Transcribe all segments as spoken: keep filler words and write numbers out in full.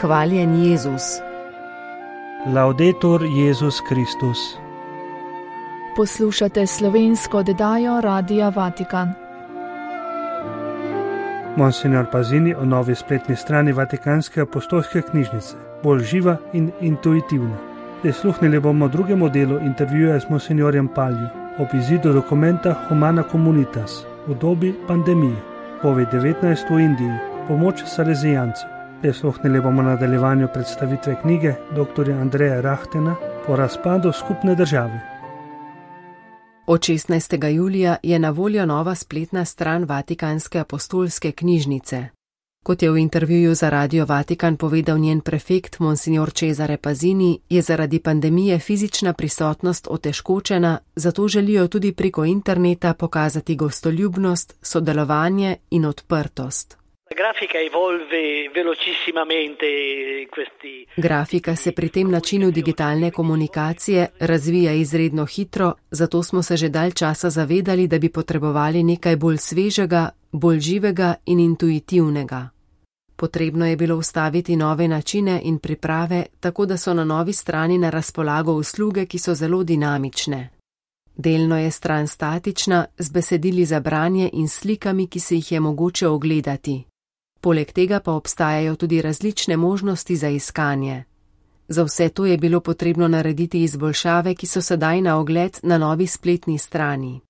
Hvaljen Jezus. Laudetur Jezus Kristus. Poslušate slovensko oddajo Radia Vatikan. Monsignor Pazini o novi spletni strani Vatikanske apostolske knjižnice, bolj živa in intuitivna. Prisluhnili bomo drugemu delu intervjuja s monsignorjem Palju ob izidu dokumenta Humana Communitas v dobi pandemije covid devetnajst v Indiji, pomoč salezijancev. Prisluhnili bomo nadaljevanju predstavitve knjige dr. Andreja Rahtena Po razpadu skupne države. Od šestnajstega julija je na voljo nova spletna stran Vatikanske apostolske knjižnice. Kot je v intervjuju za Radio Vatikan povedal njen prefekt monsignor Cesare Pazini, je zaradi pandemije fizična prisotnost otežkočena, zato želijo tudi preko interneta pokazati gostoljubnost, sodelovanje in odprtost. Grafika se pri tem načinu digitalne komunikacije razvija izredno hitro, zato smo se že dalj časa zavedali, da bi potrebovali nekaj bolj svežega, bolj živega in intuitivnega. Potrebno je bilo ustaviti nove načine in priprave, tako da so na novi strani na razpolago usluge, ki so zelo dinamične. Delno je stran statična, z besedili za branje in slikami, ki se jih je mogoče ogledati. Poleg tega pa obstajajo tudi različne možnosti za iskanje. Za vse to je bilo potrebno narediti izboljšave, ki so sedaj na ogled na novi spletni strani.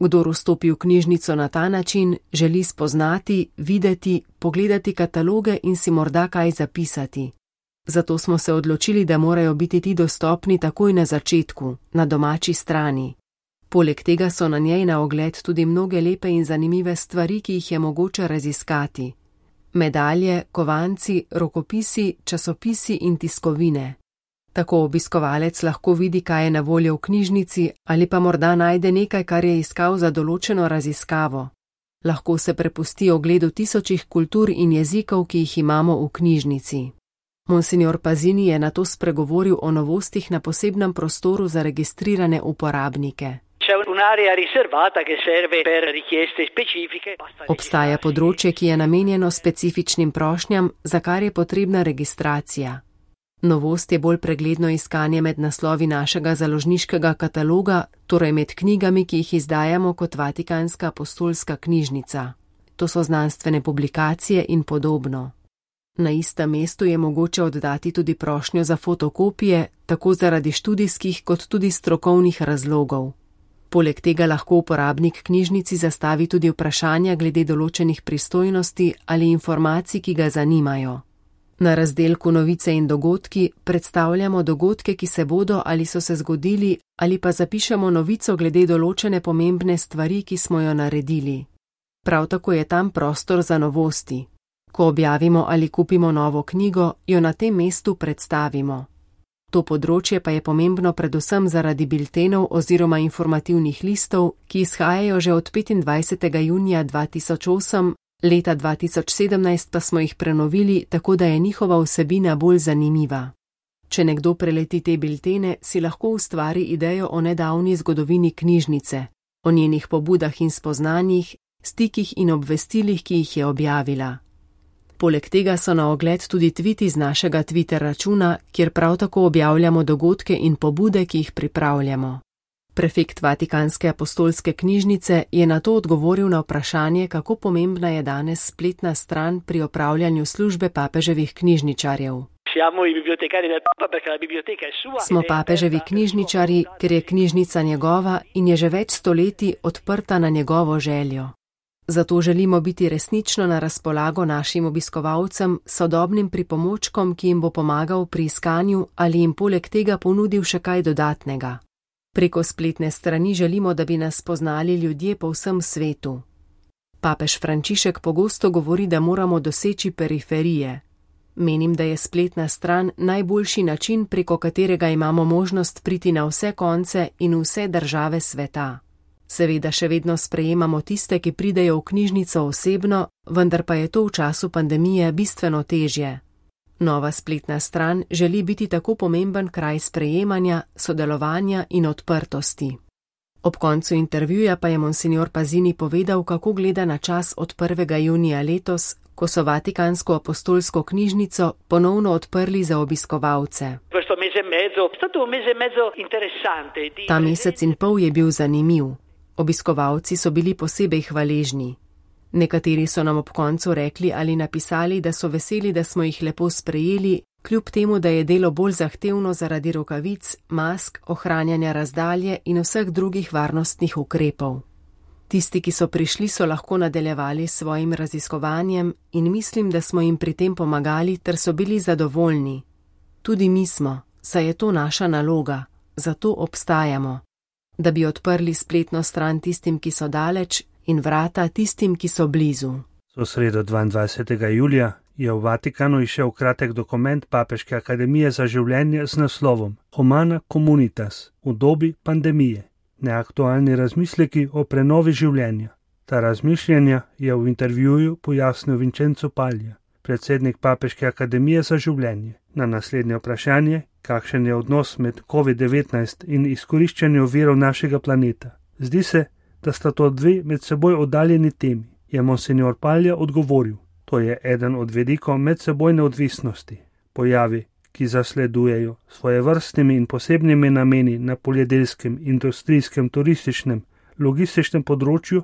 Kdor vstopi v knjižnico na ta način, želi spoznati, videti, pogledati kataloge in si morda kaj zapisati. Zato smo se odločili, da morajo biti ti dostopni takoj na začetku, na domači strani. Poleg tega so na njej na ogled tudi mnoge lepe in zanimive stvari, ki jih je mogoče raziskati. Medalje, kovanci, rokopisi, časopisi in tiskovine. Tako obiskovalec lahko vidi, kaj je na voljo v knjižnici, ali pa morda najde nekaj, kar je iskal za določeno raziskavo. Lahko se prepusti ogledu tisočih kultur in jezikov, ki jih imamo v knjižnici. Monsignor Pazini je nato spregovoril o novostih na posebnem prostoru za registrirane uporabnike. Obstaja področje, ki je namenjeno specifičnim prošnjam, za kar je potrebna registracija. Novost je bolj pregledno iskanje med naslovi našega založniškega kataloga, torej med knjigami, ki jih izdajamo kot Vatikanska apostolska knjižnica. To so znanstvene publikacije in podobno. Na istem mestu je mogoče oddati tudi prošnjo za fotokopije, tako zaradi študijskih kot tudi strokovnih razlogov. Poleg tega lahko uporabnik knjižnici zastavi tudi vprašanja glede določenih pristojnosti ali informacij, ki ga zanimajo. Na razdelku Novice in dogodki predstavljamo dogodke, ki se bodo ali so se zgodili, ali pa zapišemo novico glede določene pomembne stvari, ki smo jo naredili. Prav tako je tam prostor za novosti. Ko objavimo ali kupimo novo knjigo, jo na tem mestu predstavimo. To področje pa je pomembno predvsem zaradi biltenov oziroma informativnih listov, ki izhajajo že od petindvajsetega junija dva tisoč osem, leta dva tisoč sedemnajst pa smo jih prenovili, tako da je njihova vsebina bolj zanimiva. Če nekdo preleti te biltene, si lahko ustvari idejo o nedavni zgodovini knjižnice, o njenih pobudah in spoznanjih, stikih in obvestilih, ki jih je objavila. Poleg tega so na ogled tudi tviti z našega Twitter računa, kjer prav tako objavljamo dogodke in pobude, ki jih pripravljamo. Prefekt Vatikanske apostolske knjižnice je na to odgovoril na vprašanje, kako pomembna je danes spletna stran pri opravljanju službe papeževih knjižničarjev. Smo papeževi knjižničarji, ker je knjižnica njegova in je že več stoletij odprta na njegovo željo. Zato želimo biti resnično na razpolago našim obiskovalcem, sodobnim pripomočkom, ki jim bo pomagal pri iskanju ali jim poleg tega ponudil še kaj dodatnega. Preko spletne strani želimo, da bi nas spoznali ljudje po vsem svetu. Papež Frančišek pogosto govori, da moramo doseči periferije. Menim, da je spletna stran najboljši način, preko katerega imamo možnost priti na vse konce in vse države sveta. Seveda še vedno sprejemamo tiste, ki pridejo v knjižnico osebno, vendar pa je to v času pandemije bistveno težje. Nova spletna stran želi biti tako pomemben kraj sprejemanja, sodelovanja in odprtosti. Ob koncu intervjuja pa je monsignor Pazini povedal, kako gleda na čas od prvega junija letos, ko so Vatikansko apostolsko knjižnico ponovno odprli za obiskovalce. Ta mesec in pol je bil zanimiv. Obiskovalci so bili posebej hvaležni. Nekateri so nam ob koncu rekli ali napisali, da so veseli, da smo jih lepo sprejeli, kljub temu, da je delo bolj zahtevno zaradi rokavic, mask, ohranjanja razdalje in vseh drugih varnostnih ukrepov. Tisti, ki so prišli, so lahko nadaljevali s svojim raziskovanjem in mislim, da smo jim pri tem pomagali ter so bili zadovoljni. Tudi mi smo, saj je to naša naloga, zato obstajamo, da bi odprli spletno stran tistim, ki so daleč, in vrata tistim, ki so blizu. V sredo dvaindvajsetega julija je v Vatikanu izšel kratek dokument Papeške akademije za življenje z naslovom Humana Communitas v dobi pandemije. Neaktualni razmisleki o prenovi življenja. Ta razmišljanja je v intervjuju pojasnil Vincenzo Paglia, predsednik Papeške akademije za življenje. Na naslednje vprašanje, kakšen je odnos med covid devetnajst in izkoriščanjem virov našega planeta. Zdi se, da sta to dve med seboj oddaljeni temi, je monsignor Paglia odgovoril. To je eden od vidikov medsebojne odvisnosti. Pojavi, ki zasledujejo svojevrstnimi in posebnimi nameni na poljedelskem, industrijskem, turističnem, logističnem področju,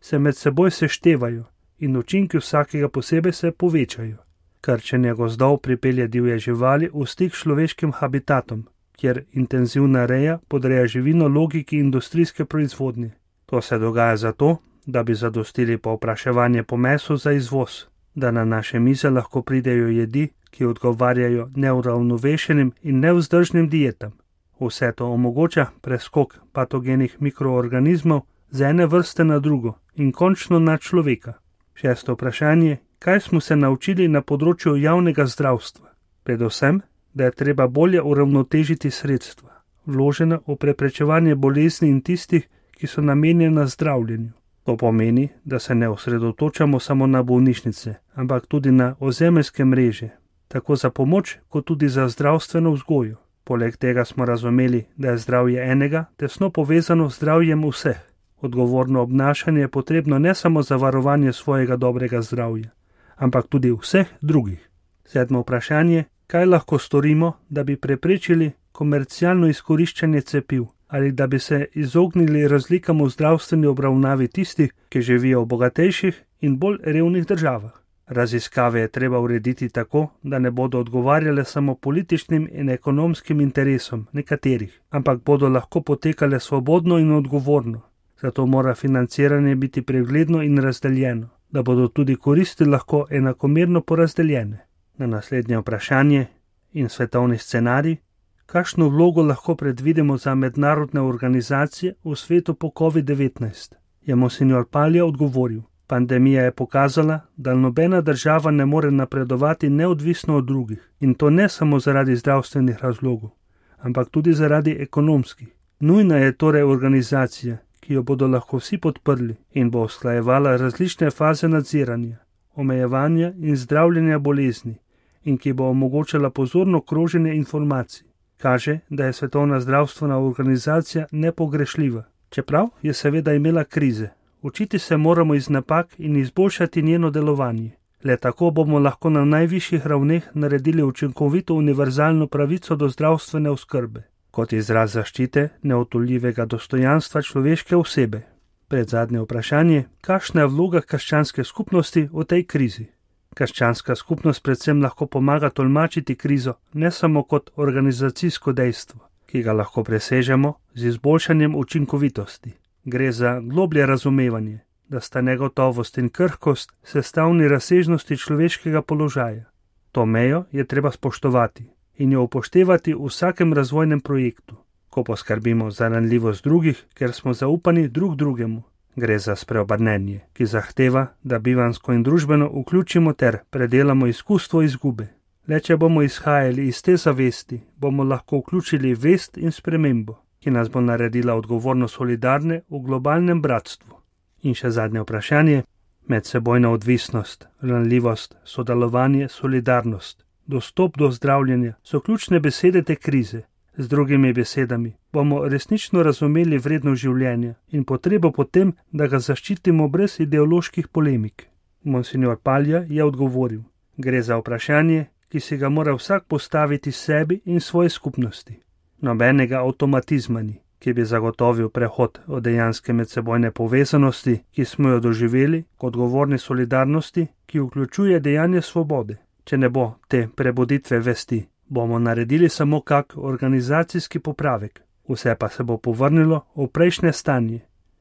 se med seboj seštevajo in učinki vsakega posebej se povečajo. Krčenje gozdov pripelje divje živali v stik s človeškim habitatom, kjer intenzivna reja podreja živino logiki industrijske proizvodnje. To se dogaja zato, da bi zadostili povpraševanje po mesu za izvoz, da na naše mize lahko pridejo jedi, ki odgovarjajo neuravnovešenim in nevzdržnim dietam. Vse to omogoča preskok patogenih mikroorganizmov z ene vrste na drugo in končno na človeka. Šesto vprašanje, kaj smo se naučili na področju javnega zdravstva? Predvsem, da je treba bolje uravnotežiti sredstva, vložena v preprečevanje bolezni in tistih, ki so namenjena zdravljenju. To pomeni, da se ne osredotočamo samo na bolnišnice, ampak tudi na ozemeljske mreže, tako za pomoč, kot tudi za zdravstveno vzgojo. Poleg tega smo razumeli, da je zdravje enega tesno povezano z zdravjem vseh. Odgovorno obnašanje je potrebno ne samo za varovanje svojega dobrega zdravja, ampak tudi vseh drugih. Sedmo vprašanje, kaj lahko storimo, da bi preprečili komercialno izkoriščanje cepiv ali da bi se izognili razlikam v zdravstveni obravnavi tistih, ki živijo v bogatejših in bolj revnih državah. Raziskave je treba urediti tako, da ne bodo odgovarjale samo političnim in ekonomskim interesom nekaterih, ampak bodo lahko potekale svobodno in odgovorno. Zato mora financiranje biti pregledno in razdeljeno, da bodo tudi koristi lahko enakomerno porazdeljene. Na naslednje vprašanje in svetovni scenarij, kakšno vlogo lahko predvidimo za mednarodne organizacije v svetu po covid devetnajst, je monsignor Paglia odgovoril. Pandemija je pokazala, da nobena država ne more napredovati neodvisno od drugih, in to ne samo zaradi zdravstvenih razlogov, ampak tudi zaradi ekonomskih. Nujna je torej organizacija, ki jo bodo lahko vsi podprli in bo usklajevala različne faze nadziranja, omejevanja in zdravljenja bolezni in ki bo omogočala pozorno kroženje informacij. Kaže, da je Svetovna zdravstvena organizacija nepogrešljiva, čeprav je seveda imela krize. Učiti se moramo iz napak in izboljšati njeno delovanje. Le tako bomo lahko na najvišjih ravneh naredili učinkovito univerzalno pravico do zdravstvene oskrbe, kot izraz zaščite neodtujljivega dostojanstva človeške osebe. Predzadnje vprašanje, kakšna je vloga krščanske skupnosti v tej krizi? Krščanska skupnost predvsem lahko pomaga tolmačiti krizo ne samo kot organizacijsko dejstvo, ki ga lahko presežemo z izboljšanjem učinkovitosti. Gre za globlje razumevanje, da sta negotovost in krhkost sestavni razsežnosti človeškega položaja. To mejo je treba spoštovati in jo upoštevati v vsakem razvojnem projektu, ko poskrbimo za ranljivost drugih, ker smo zaupani drug drugemu. Gre za spreobrnenje, ki zahteva, da bivansko in družbeno vključimo ter predelamo izkustvo izgube. Le če bomo izhajali iz te zavesti, bomo lahko vključili vest in spremembo, ki nas bo naredila odgovorno solidarne v globalnem bratstvu. In še zadnje vprašanje, medsebojna odvisnost, ranljivost, sodelovanje, solidarnost, dostop do zdravljenja so ključne besede te krize. Z drugimi besedami, bomo resnično razumeli vrednost življenja in potrebo po tem, da ga zaščitimo brez ideoloških polemik. Monsignor Palja je odgovoril: gre za vprašanje, ki si ga mora vsak postaviti sebi in svoje skupnosti. Nobenega avtomatizma ni, ki bi zagotovil prehod od dejanske medsebojne povezanosti, ki smo jo doživeli, k odgovorni solidarnosti, ki vključuje dejanje svobode. Če ne bo te prebuditve vesti, bomo naredili samo kak organizacijski popravek, vse pa se bo povrnilo v prejšnje stanje.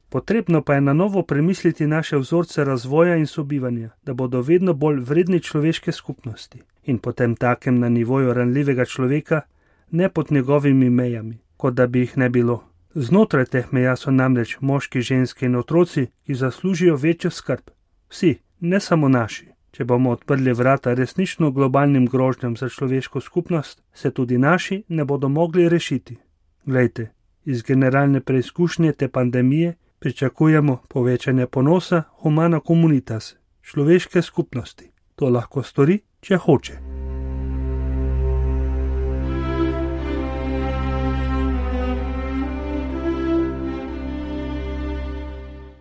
Potrebno pa je na novo premisliti naše vzorce razvoja in sobivanja, da bodo vedno bolj vredni človeške skupnosti in potem takem na nivoju ranljivega človeka, ne pod njegovimi mejami, kot da bi jih ne bilo. Znotraj teh meja so namreč moški, ženske in otroci, ki zaslužijo večjo skrb. Vsi, ne samo naši. Če bomo odprli vrata resnično globalnim grožnjam za človeško skupnost, se tudi naši ne bodo mogli rešiti. Glejte, iz generalne preizkušnje te pandemije pričakujemo povečanje ponosa humana communitas, človeške skupnosti. To lahko stori, če hoče.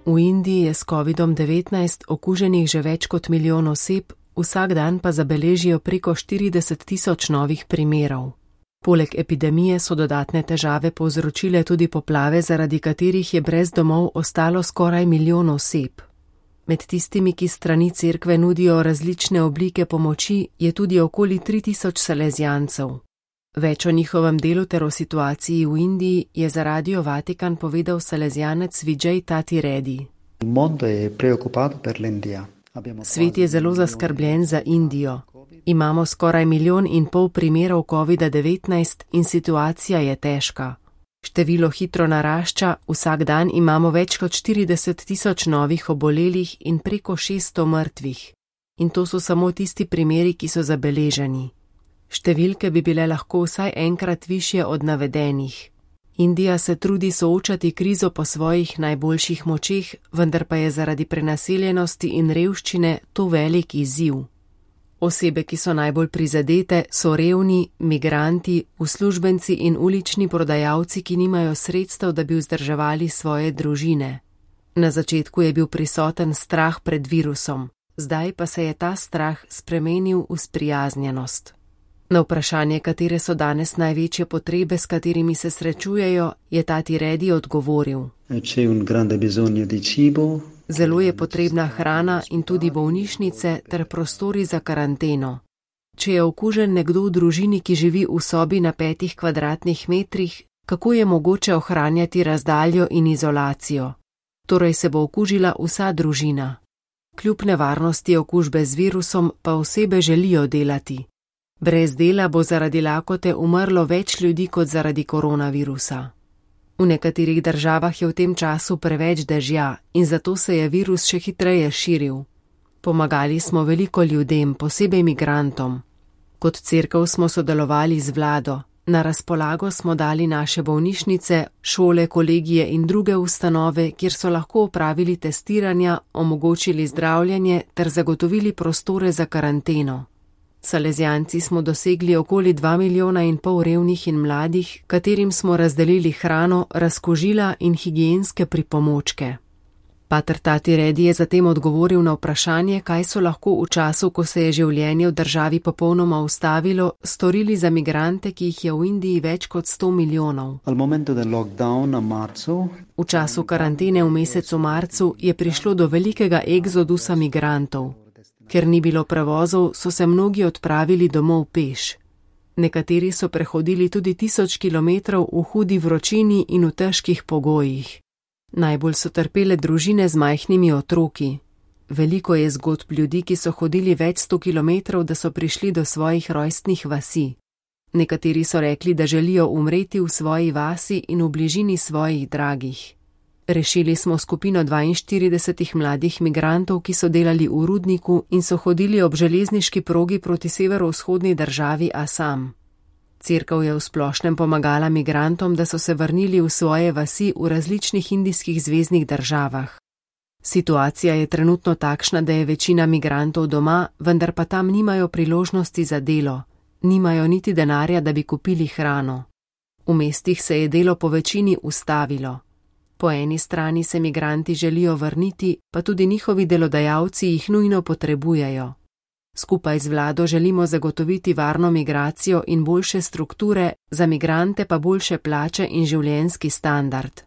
V Indiji je s kovidom devetnajst okuženih že več kot milijon oseb, vsak dan pa zabeležijo preko štirideset tisoč novih primerov. Poleg epidemije so dodatne težave povzročile tudi poplave, zaradi katerih je brez domov ostalo skoraj milijon oseb. Med tistimi, ki strani cerkve nudijo različne oblike pomoči, je tudi okoli tri tisoč salezijancev. Več o njihovem delu ter o situaciji v Indiji je za Radio Vatikan povedal salezijanec Vijay Tati Reddy. Svet je zelo zaskrbljen za Indijo. Imamo skoraj milijon in pol primerov kovida devetnajst in situacija je težka. Število hitro narašča, vsak dan imamo več kot štirideset tisoč novih obolelih in preko šeststo mrtvih. In to so samo tisti primeri, ki so zabeleženi. Številke bi bile lahko vsaj enkrat višje od navedenih. Indija se trudi soočati krizo po svojih najboljših močeh, vendar pa je zaradi prenaseljenosti in revščine to velik izziv. Osebe, ki so najbolj prizadete, so revni, migranti, uslužbenci in ulični prodajalci, ki nimajo sredstev, da bi vzdrževali svoje družine. Na začetku je bil prisoten strah pred virusom, zdaj pa se je ta strah spremenil v sprijaznjenost. Na vprašanje, katere so danes največje potrebe, s katerimi se srečujejo, je Tati Reddy odgovoril. Zelo je potrebna hrana in tudi bolnišnice ter prostori za karanteno. Če je okužen nekdo v družini, ki živi v sobi na petih kvadratnih metrih, kako je mogoče ohranjati razdaljo in izolacijo? Torej se bo okužila vsa družina. Kljub nevarnosti okužbe z virusom pa osebe želijo delati. Brez dela bo zaradi lakote umrlo več ljudi kot zaradi koronavirusa. V nekaterih državah je v tem času preveč dežja in zato se je virus še hitreje širil. Pomagali smo veliko ljudem, posebej migrantom. Kot cerkev smo sodelovali z vlado. Na razpolago smo dali naše bolnišnice, šole, kolegije in druge ustanove, kjer so lahko opravili testiranja, omogočili zdravljenje ter zagotovili prostore za karanteno. Salezijanci smo dosegli okoli dva milijona in pol revnih in mladih, katerim smo razdelili hrano, razkožila in higienske pripomočke. Pater Tati Reddy je zatem odgovoril na vprašanje, kaj so lahko v času, ko se je življenje v državi popolnoma ustavilo, storili za migrante, ki jih je v Indiji več kot sto milijonov. V času karantene v mesecu marcu je prišlo do velikega egzodusa migrantov. Ker ni bilo prevozov, so se mnogi odpravili domov peš. Nekateri so prehodili tudi tisoč kilometrov v hudi vročini in v težkih pogojih. Najbolj so trpele družine z majhnimi otroki. Veliko je zgodb ljudi, ki so hodili več sto kilometrov, da so prišli do svojih rojstnih vasi. Nekateri so rekli, da želijo umreti v svoji vasi in v bližini svojih dragih. Rešili smo skupino dvainštiridesetih mladih migrantov, ki so delali v rudniku in so hodili ob železniški progi proti severovzhodni državi Asam. Cerkev je v splošnem pomagala migrantom, da so se vrnili v svoje vasi v različnih indijskih zveznih državah. Situacija je trenutno takšna, da je večina migrantov doma, vendar pa tam nimajo priložnosti za delo, nimajo niti denarja, da bi kupili hrano. V mestih se je delo po večini ustavilo. Po eni strani se migranti želijo vrniti, pa tudi njihovi delodajalci jih nujno potrebujejo. Skupaj z vlado želimo zagotoviti varno migracijo in boljše strukture, za migrante pa boljše plače in življenjski standard.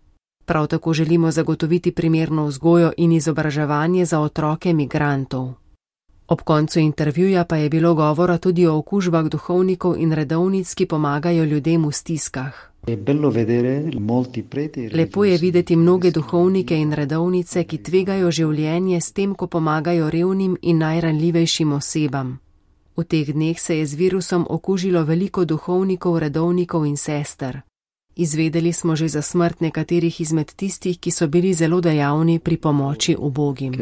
Prav tako želimo zagotoviti primerno vzgojo in izobraževanje za otroke migrantov. Ob koncu intervjuja pa je bilo govora tudi o okužbah duhovnikov in redovnic, ki pomagajo ljudem v stiskah. Lepo je videti mnoge duhovnike in redovnice, ki tvegajo življenje s tem, ko pomagajo revnim in najranljivejšim osebam. V teh dneh se je z virusom okužilo veliko duhovnikov, redovnikov in sester. Izvedeli smo že za smrt nekaterih izmed tistih, ki so bili zelo dejavni pri pomoči ubogim.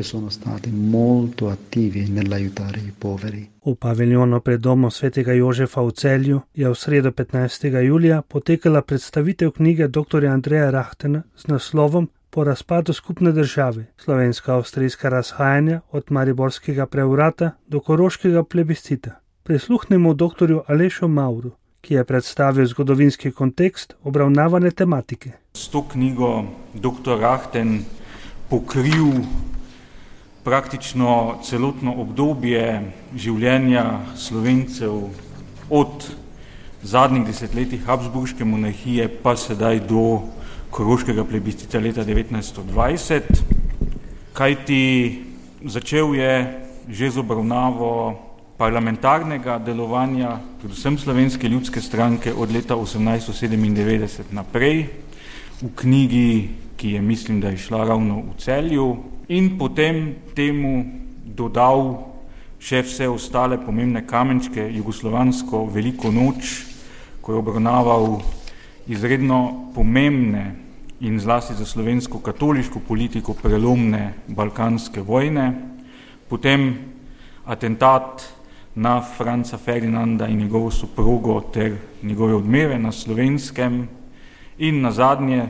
V paviljonu pred domom svetega Jožefa v Celju je v sredo petnajstega julija potekala predstavitev knjige doktorja Andreja Rahtena z naslovom Po razpadu skupne države, slovensko-avstrijska razhajanja od mariborskega prevrata do koroškega plebiscita. Prisluhnemo doktorju Alešu Mavru, ki je predstavil zgodovinski kontekst obravnavane tematike. S to knjigo doktor Rahten pokril praktično celotno obdobje življenja Slovencev od zadnjih desetletij Habsburške monarhije pa sedaj do koroškega plebiscita leta devetnajststo dvajset, kajti začel je že z obravnavo parlamentarnega delovanja, predvsem Slovenske ljudske stranke od leta osemnajststo sedemindevetdeset naprej, v knjigi, ki je mislim, da je šla ravno v Celju, in potem temu dodal še vse ostale pomembne kamenčke, jugoslovansko veliko noč, ko je obravnaval izredno pomembne in zlasti za slovensko katoliško politiko prelomne balkanske vojne, potem atentat na Franca Ferdinanda in njegovo soprogo ter njegove odmeve na Slovenskem in nazadnje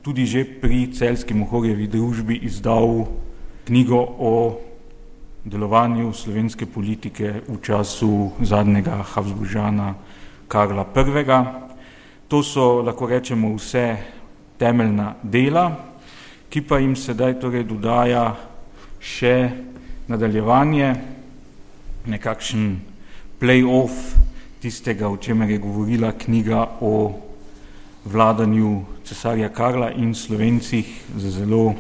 tudi že pri Celjski Mohorjevi družbi izdal knjigo o delovanju slovenske politike v času zadnjega Habsburžana Karla Prvega. To so, lahko rečemo, vse temeljna dela, ki pa jim sedaj torej dodaja še nadaljevanje, nekakšen play-off tistega, o čemer je govorila knjiga o vladanju cesarja Karla in Slovencih z zelo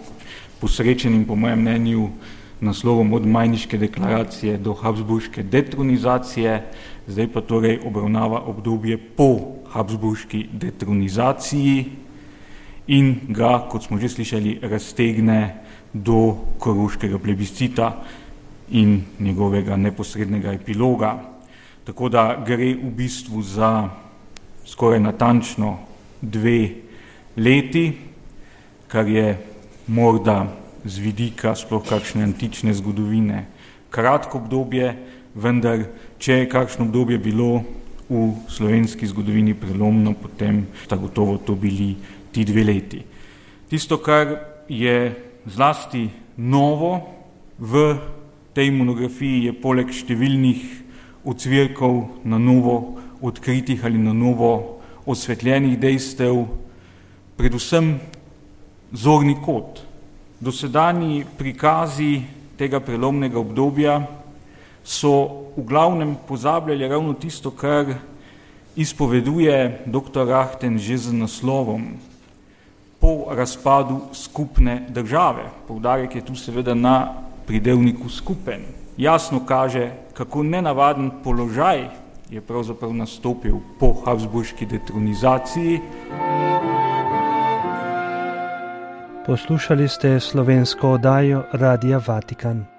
posrečenim, po mojem mnenju, naslovom Od Majniške deklaracije do Habsburške detronizacije, zdaj pa torej obravnava obdobje po Habsburški detronizaciji in ga, kot smo že slišali, raztegne do koroškega plebiscita in njegovega neposrednega epiloga. Tako da gre v bistvu za skoraj natančno dve leti, kar je morda z vidika sploh kakšne antične zgodovine kratko obdobje, vendar če je kakšno obdobje bilo v slovenski zgodovini prelomno, potem sta gotovo to bili ti dve leti. Tisto, kar je zlasti novo v tej monografiji, je poleg številnih ocvirkov na novo odkritih ali na novo osvetljenih dejstev, predvsem zorni kot. Dosedanji prikazi tega prelomnega obdobja so v glavnem pozabljali ravno tisto, kar izpoveduje doktor Rahten že z naslovom Po razpadu skupne države. Poudarek je tu seveda na pridevniku skupen. Jasno kaže, kako nenavaden položaj je pravzaprav nastopil po Habsburški detronizaciji. Poslušali ste slovensko oddajo Radia Vatikan.